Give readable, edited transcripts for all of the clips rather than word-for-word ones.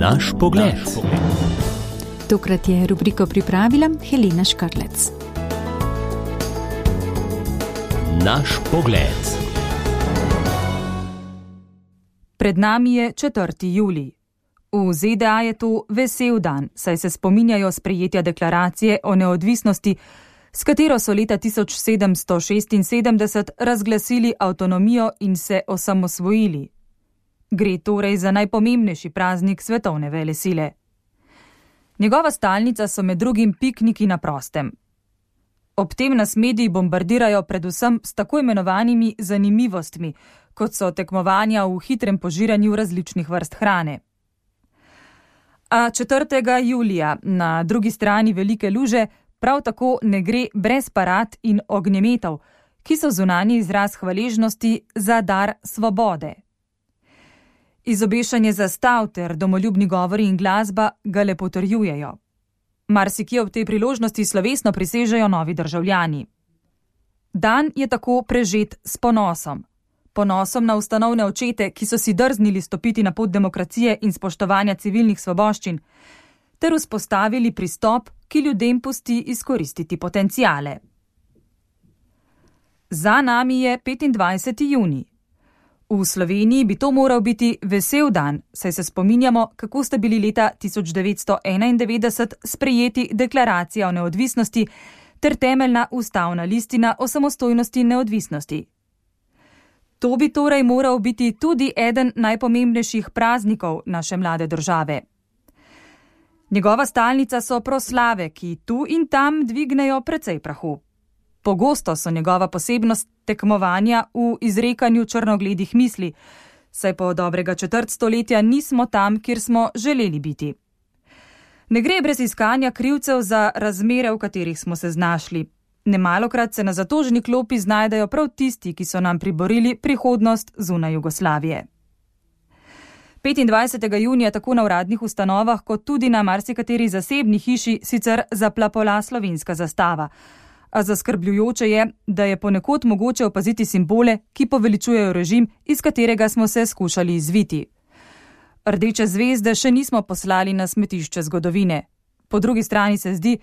Naš pogled. Tokrat je rubriko pripravila Helena Škrlec. Naš pogled. Pred nami je 4. julij. V ZDA je to vesel dan, saj se spominjajo sprejetja deklaracije o neodvisnosti, s katero so leta 1776 razglasili avtonomijo in se osamosvojili. Gre torej za najpomembnejši praznik svetovne velesile. Njegova stalnica so med drugim pikniki na prostem. Ob tem nas mediji bombardirajo predvsem s tako imenovanimi zanimivostmi, kot so tekmovanja v hitrem požiranju različnih vrst hrane. A 4. julija na drugi strani Velike luže prav tako ne gre brez parad in ognjemetov, ki so zunanji izraz hvaležnosti za dar svobode. Izobešanje zastav ter domoljubni govori in glasba ga le potrjujejo. Marsikje ob tej priložnosti slovesno prisežejo novi državljani. Dan je tako prežet s ponosom. Ponosom na ustanovne očete, ki so si drznili stopiti na pot demokracije in spoštovanja civilnih svoboščin, ter vzpostavili pristop, ki ljudem pusti izkoristiti potenciale. Za nami je 25. junij. V Sloveniji bi to moral biti vesel dan, saj se spominjamo, kako sta bili leta 1991 sprejeti deklaracija o neodvisnosti ter temeljna ustavna listina o samostojnosti in neodvisnosti. To bi torej moral biti tudi eden najpomembnejših praznikov naše mlade države. Njegova stalnica so proslave, ki tu in tam dvignejo precej prahu. Pogosto so njegova posebnost tekmovanja v izrekanju črnogledih misli, saj po dobrega četrt stoletja nismo tam, kjer smo želeli biti. Ne gre brez iskanja krivcev za razmere, v katerih smo se znašli. Nemalokrat se na zatožni klopi znajdejo prav tisti, ki so nam priborili prihodnost zunaj Jugoslavije. 25. junija tako na uradnih ustanovah, kot tudi na marsikateri zasebni hiši sicer zaplapola slovenska zastava. A zaskrbljujoče je, da je ponekod mogoče opaziti simbole, ki poveličujejo režim, iz katerega smo se skušali izviti. Rdeče zvezde še nismo poslali na smetišče zgodovine. Po drugi strani se zdi,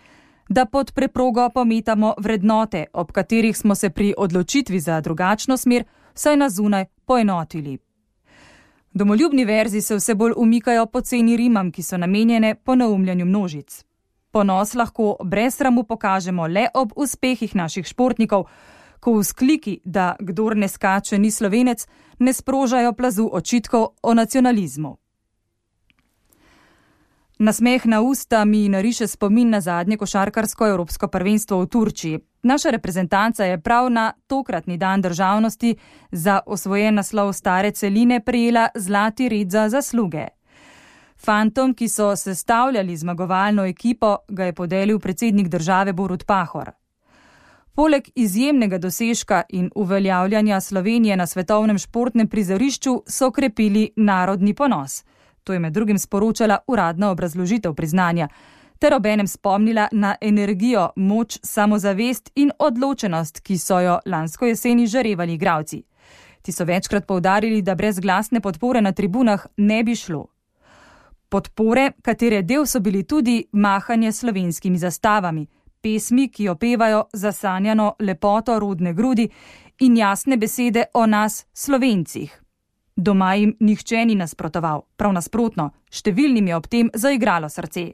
da pod preprogo pometamo vrednote, ob katerih smo se pri odločitvi za drugačno smer vsaj na zunaj poenotili. Domoljubni verzi se vse bolj umikajo poceni rimam, ki so namenjene poneumljanju množic. Ponos lahko brez sramu pokažemo le ob uspehih naših športnikov, ko vzkliki, da kdor ne skače ni Slovenec, ne sprožajo plazu očitkov o nacionalizmu. Nasmeh na usta mi nariše spomin na zadnje košarkarsko evropsko prvenstvo v Turčiji. Naša reprezentanca je prav na tokratni dan državnosti za osvojen naslov stare celine prejela zlati red za zasluge. Fantom, ki so sestavljali zmagovalno ekipo, ga je podelil predsednik države Borut Pahor. Poleg izjemnega dosežka in uveljavljanja Slovenije na svetovnem športnem prizorišču so krepili narodni ponos. To je med drugim sporočala uradna obrazložitev priznanja, ter obenem spomnila na energijo, moč, samozavest in odločenost, ki so jo lansko jeseni žarevali igralci. Ti so večkrat poudarili, da brez glasne podpore na tribunah ne bi šlo. Podpore, katere del so bili tudi mahanje slovenskimi zastavami, pesmi, ki opevajo zasanjano lepoto rodne grudi in jasne besede o nas, Slovencih. Doma jim nihče ni nasprotoval, prav nasprotno, številnim je ob tem zaigralo srce.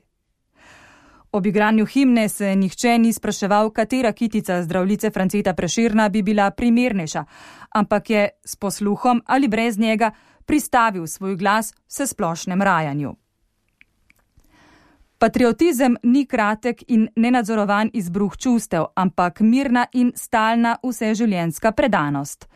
Ob igranju himne se nihče ni spraševal, katera kitica zdravljice Franceta Prešerna bi bila primernejša, ampak je s posluhom ali brez njega pristavil svoj glas vsesplošnem rajanju. Patriotizem ni kratek in nenadzorovan izbruh čustev, ampak mirna in stalna vseživljenjska predanost.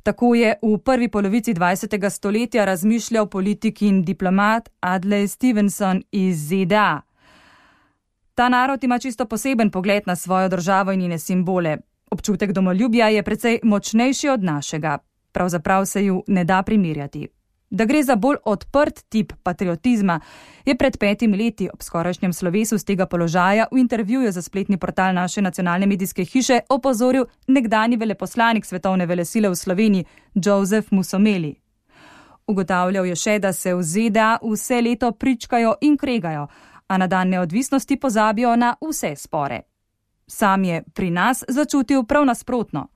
Tako je v prvi polovici 20. stoletja razmišljal politik in diplomat Adlai Stevenson iz ZDA. Ta narod ima čisto poseben pogled na svojo državo in njene simbole. Občutek domoljubja je precej močnejši od našega. Pravzaprav se ju ne da primerjati. Da gre za bolj odprt tip patriotizma, je pred 5 leti ob skorajšnjem slovesu z tega položaja v intervjuju za spletni portal naše nacionalne medijske hiše opozoril nekdanji veleposlanik svetovne velesile v Sloveniji, Joseph Musomeli. Ugotavljal je še, da se v ZDA vse leto pričkajo in kregajo, a na dan neodvisnosti pozabijo na vse spore. Sam je pri nas začutil prav nasprotno.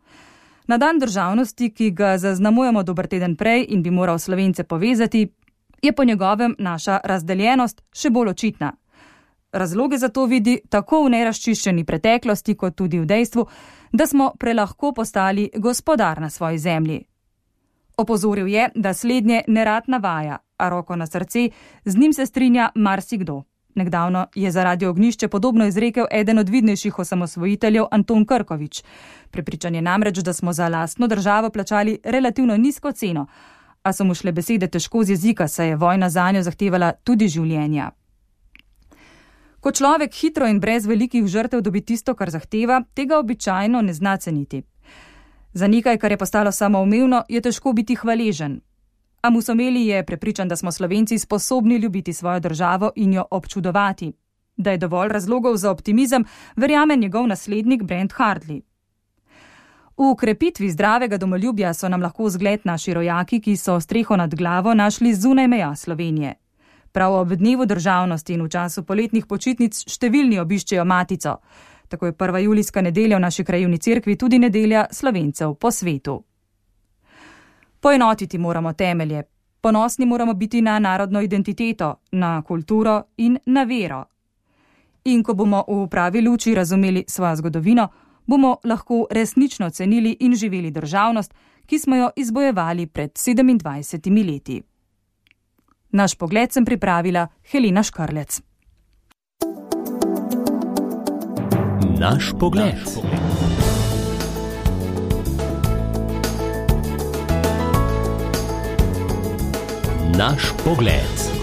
Na dan državnosti, ki ga zaznamujemo dober teden prej in bi moral Slovence povezati, je po njegovem naša razdeljenost še bolj očitna. Razloge za to vidi tako v nerazčiščeni preteklosti, kot tudi v dejstvu, da smo prelahko postali gospodar na svoji zemlji. Opozoril je, da slednje nerad navaja, a roko na srce, z njim se strinja marsikdo. Nekdavno je za Radio Ognjišče podobno izrekel eden od vidnejših osamosvojiteljev Anton Krkovič. Prepričan je namreč, da smo za lastno državo plačali relativno nizko ceno, a so mu šle besede težko z jezika, saj je vojna zanjo zahtevala tudi življenja. Ko človek hitro in brez velikih žrtev dobi tisto, kar zahteva, tega običajno ne zna ceniti. Za nekaj, kar je postalo samoumevno, je težko biti hvaležen. A Musomeli je prepričan, da smo Slovenci sposobni ljubiti svojo državo in jo občudovati. Da je dovolj razlogov za optimizem, verjame njegov naslednik Brent Hartley. V krepitvi zdravega domoljubja so nam lahko zgled naši rojaki, ki so streho nad glavo našli zunaj meja Slovenije. Prav ob dnevu državnosti in v času poletnih počitnic številni obiščejo matico. Tako je 1. julijska nedelja v naši krajevni cerkvi tudi nedelja Slovencev po svetu. Poenotiti moramo temelje. Ponosni moramo biti na narodno identiteto, na kulturo in na vero. In ko bomo v pravi luči razumeli svojo zgodovino, bomo lahko resnično cenili in živeli državnost, ki smo jo izbojevali pred 27 leti. Naš pogled sem pripravila Helena Škarlec. Naš pogled. Naš pogled.